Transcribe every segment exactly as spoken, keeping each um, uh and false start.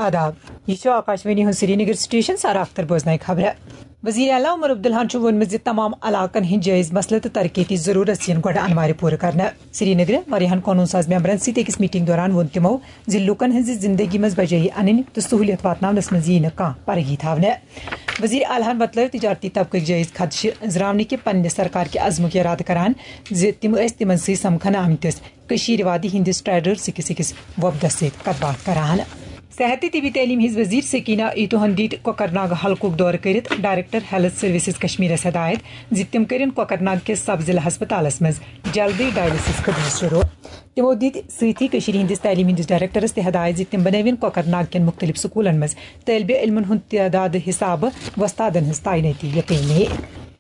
آداب، یہ چھُ آکاشوانی ہُنٛد سرینگر سٹیشن۔ سارا اختر بوزناوِ خبرٕ۔ وزیر اعلیٰ عمر عبداللہن چھُ ووٚنمُت زِ تمام علاقن ہٕنٛدۍ جٲیز مسلہٕ تہٕ ترقیتی ضروٗرت یِن گۄڈٕ انوارِ پوٗرٕ کرنہٕ۔ سرینگرٕ واریاہن قونوٗن ساز ممبرن سۭتۍ أکِس میٹنگ دوران ووٚن تِمو زِ لوٗکن ہٕنٛزِ زندگی منٛز بجٲیی انٕنۍ تہٕ سہوٗلیت واتناونس منٛز ییہِ نہٕ کانٛہہ پرگی تھاونہٕ۔ وزیر اعلیٰ ہن وۄتلٲو تجارتی طبقٕکۍ جٲیز خدشہٕ، زراونہٕ کہِ پننہِ سرکار کہِ عزمُک اِرادٕ کران زِ تِم ٲسۍ تِمن سۭتۍ سمکھنہٕ آمتِس کٔشیٖرِ وادی ہٕنٛدِس ٹریڈرز أکِس أکِس وۄپدس سۭتۍ کتھ باتھ کران۔ صحت تہٕ طبی تعلیٖم ہٕنٛز وزیر سکینہ ایتوہن دِتۍ کۄکرناگ حلقُک دورٕ کٔرِتھ ڈائریکٹر ہیلتھ سروسز کشمیرس ہدایت زِ تِم کٔرِن کۄکرناگ کِس سب ضلع ہسپتالس منٛز جلدی ڈائلسس خدمت شروع۔ تِمو دِتۍ سۭتی کٔشیٖرِ ہٕنٛدِس تعلیٖم ہٕنٛدِس ڈائریکٹرس تہِ ہدایت زِ تِم بنٲوِن کۄکرناگ کٮ۪ن مُختٔلِف سکوٗلن منٛز طٲلبِ علمن ہُنٛد تعداد حسابہٕ وۄستادن ہٕنٛز تعینٲتی یقینی۔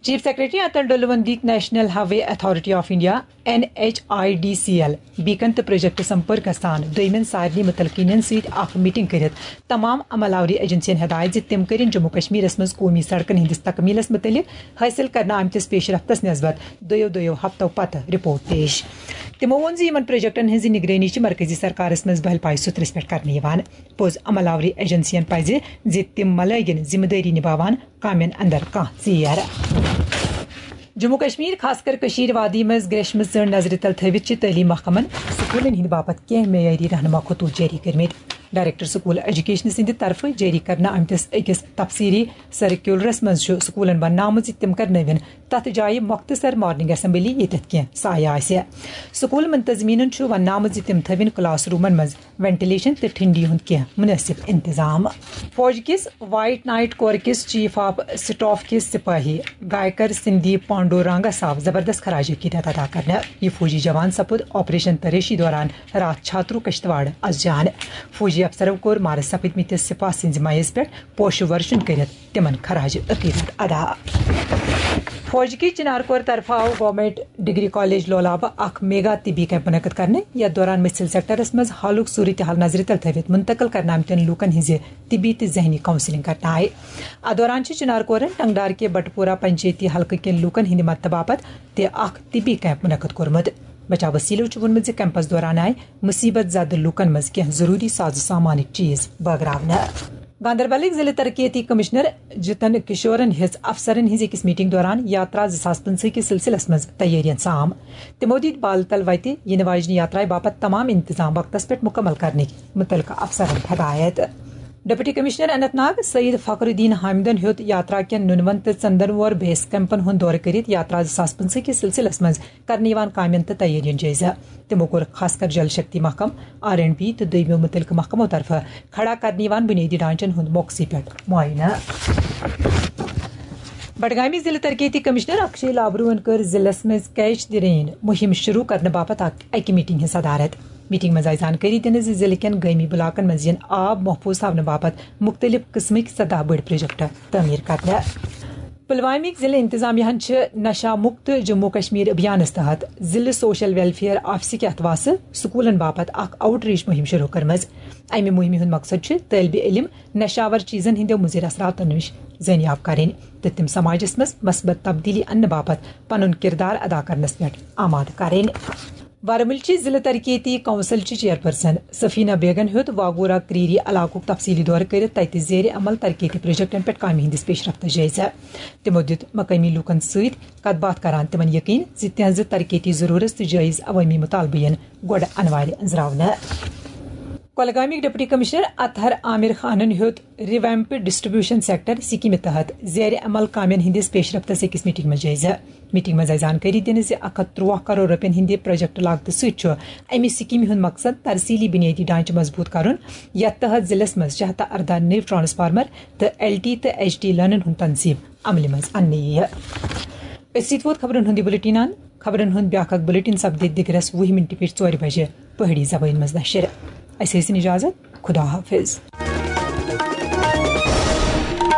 چیف سیکرٹری اٹل ڈلون دِتۍ national highway authority of India, N H I D C L, beacon تہٕ پروجیکٹ سمپرکس سان دویمٮ۪ن سارنٕے متعلقیٖنن سۭتۍ اکھ میٹنگ کٔرِتھ تمام عمل آوری ایجنسین ہدایت زِ تِم کٔرِن جموں کشمیرس منٛز قومی سڑکن ہٕنٛدِس تکمیلس متعلق حٲصِل کرنہٕ آمتِس پیش رفتس نسبت دۄیو دۄیو ہفتو پتہٕ رپورٹ پیش۔ تِمو ووٚن زِ یِمن پروجیکٹن ہٕنٛز نگرٲنی چھِ مرکزی سرکارس منٛز بہل پایہِ سُترس پٮ۪ٹھ کرنہٕ یِوان۔ پوٚز عمل آوری ایجنسین پزِ زِ تِم مہ لٲگِن ذمہٕ دٲری نباوان کامٮ۪ن اندر کانٛہہ ژیر۔ جموں کشمیر، خاص کر کشیر وادی منٛز گریشمہٕ ژٔنٛڈ نظرِ تل تھٲوِتھ چھِ تعلیٖم محکمن سکوٗلن ہٕنٛدِ باپتھ کینٛہہ معیٲری رہنما خطوط جٲری کٔرمٕتۍ۔ ڈائریکٹر سکول ایجوکیشن سٕنٛدِ طرفہٕ جٲری کرنہٕ آمتِس أکِس تفصیلی سرکیولرس منٛز چھُ سکوٗلن وننہٕ آمُت زِ تِم کرنٲوِن تتھ جایہِ مۄختصر مارننگ اسمبلی، ییٚتٮ۪تھ کینٛہہ سایہِ آسہِ۔ سکول منتظمینن چھُ وننہٕ آمُت زِ تِم تھٲوِن کلاس رومن منٛز وینٹیلیشن تہٕ ٹھنڈی ہُنٛد کینٛہہ مناسب انتظام۔ فوج کِس وائٹ نائٹ کور کِس چیف آف سٹاف کِس سپاہی گائیکر سندیپ پانڈو رانگس آو زبردست خراج عقیدت ادا کرنہٕ۔ یہِ فوجی جوان سپُد آپریشن تریشی دوران راتھ چھاترو کشتواڑ از جان۔ فوجی افسرو کوٚر مارس سپٕدمٕتِس سپاہ سٕنٛزِ میز پٮ۪ٹھ پوشہٕ ورشن کٔرِتھ تِمن خراج عقیدت ادا۔ فوج کہِ چنار کور طرفہٕ آو گورنمنٹ ڈگری کالج لولابہٕ اکھ میگا طبی کیمپ منعقد کرنہٕ، یتھ دوران مٔسِل سیکٹرس منٛز حالُک صورتحال نظرِ تل تھٲوِتھ منتقل کرنہٕ آمتٮ۪ن لوٗکن ہٕنٛزِ طبی تہٕ ذہنی کاؤنسلنگ کرنہٕ آیہِ۔ اتھ دوران چھِ چنار کورن ٹنگڈار کہِ بٹپورہ پنچایتی حلقہٕ کٮ۪ن لوٗکن ہٕنٛدِ مدتہٕ باپتھ تہِ اکھ طبی کیمپ منعقد کوٚرمُت۔ بچاو وسیلو چھُ ووٚنمُت زِ کیمپس دوران آیہِ مصیبت زدٕ لوٗکن منٛز کینٛہہ ضروٗری ساز و سامانٕکۍ چیٖز بٲگراونہٕ۔ گاندربلٕکۍ ضلع ترقیتی کمشنر جتن کشورن ہیٚژ افسرن ہٕنٛز أکِس میٹنگ دوران یاترا زٕ ساس پٕنٛژٕہ کِس سلسلس منٛز تیٲرین سام۔ تِمو دِتۍ بالہٕ تل وتہِ یِنہٕ واجنہِ یاترایہِ باپتھ تمام انتظام وقتس پٮ۪ٹھ مکمل کرنٕکۍ متعلقہٕ افسرن ہدایت۔ ڈپٹی کمشنر اننت ناگ سعید فخر الدین حامدن ہیوٚت یاترا کٮ۪ن نُنون تہٕ ژندن وور بیس کیمپن ہُنٛد دورٕ کٔرِتھ یاترا زٕ ساس پٕنٛژٕہ کِس سلسلس منٛز کرنہٕ یِوان کامٮ۪ن تہٕ تیٲرین جٲیزٕ۔ تِمو کوٚر خاص کر جل شکتی محکمہٕ، آر اینڈ بی تہٕ دوٚیمٮ۪و مُتعلقہٕ محکمو طرفہٕ کھڑا کرنہٕ یِوان بُنیٲدی ڈھانچن ہُنٛد موقعہٕ پٮ۪ٹھ معائنہٕ۔ بڈگامٕکۍ ضلع ترقیتی کمشنر اکشے لابروہن کٔر ضلعس منٛز کیچ دی رین مُہِم شروع کرنہٕ باپتھ اکھ اکہِ میٹنگ ہٕنٛز صدارت۔ میٹنگ منٛز آیہِ زانکٲری دِنہٕ زِ ضلعہٕ کٮ۪ن گٲمی علاقن منٛز یِن آب محفوظ تھاونہٕ باپتھ مُختٔلِف قٕسمٕکۍ سداہ بٔڑۍ پروجیکٹ تعمیٖر کرنہٕ۔ پلوامٕکۍ ضلع انتظامیہ ہن چھِ نشہ مکت جموں کشمیر ابھیانس تحت ضلع سوشل ویلفیئر آفسٕکۍ اتھواسہٕ سکولن باپتھ اکھ آؤٹ ریچ مُہِم شروع کٔرمٕژ۔ امہِ مُہِمہِ ہُنٛد مقصد چھُ طٲلبِ علم نشاور چیزن ہٕنٛدیو مُضر اثراتو نِش زٲنیاب کرٕنۍ تہٕ تِم سماجس منٛز مثبت تبدیلی اننہٕ باپتھ پنُن کردار ادا کرنس پٮ۪ٹھ آمادٕ کرٕنۍ۔ وارمُلچہِ ضلع ترقیتی کونسلچہِ چیئرپرسن سفینہ بیگن ہیوٚت واگورا کریری علاقُک تفصیلی دورٕ کٔرِتھ تتہِ زیر عمل ترقیتی پروجیکٹن پٮ۪ٹھ کامہِ ہٕنٛدِس پیشرفتس جٲیزٕ۔ تِمو دِیُت مقٲمی لوٗکن سۭتۍ کتھ باتھ کران تِمن یقین زِ تِہنٛزٕ ترقیتی ضرورت تہٕ جٲیز عوٲمی مطالبہٕ یِن گۄڈٕ انوارِ أنٛزراونہٕ۔ کۄلگامٕکۍ ڈپٹی کمشنر اطہر عامر خانن ہیوٚت ریویمپ ڈسٹریبیوشن سیکٹر سکیمہِ تحت زیر عمل کامٮ۪ن ہٕنٛدِس پیشرفتس أکِس میٹنگ منٛز جٲیزٕ۔ میٹنگ منٛز آیہِ زانکٲری دِنہٕ زِ اکھ ہتھ ترٛواہ کرور رۄپین ہٕنٛدِ پروجیکٹ لاگتہٕ سۭتۍ چھُ امہِ سکیمہِ ہُنٛد مقصد ترسیلی بُنیٲدی ڈھانچہٕ مضبوٗط کرُن، یتھ تحت ضلعس منٛز شیٚے ہتھ تہٕ ارداہ نٔوۍ ٹرانسفارمر تہٕ ایل ٹی تہٕ ایچ ٹی لٲنن ہُنٛد تنصیب عملہِ منٛز اننہٕ یِیہِ۔ أتھۍ سۭتۍ ووت خبرن ہُنٛد یہِ بُلٹن اند۔ خبرن ہُنٛد بیٛاکھ اکھ بُلٹن سپدِ دِگرس وُہہِ مِنٹہِ پٮ۪ٹھ ژورِ بجہِ پہٲڑی زبٲنۍ منٛز نشر۔ اسہِ ٲسِن اجازت۔ خدا حافظ۔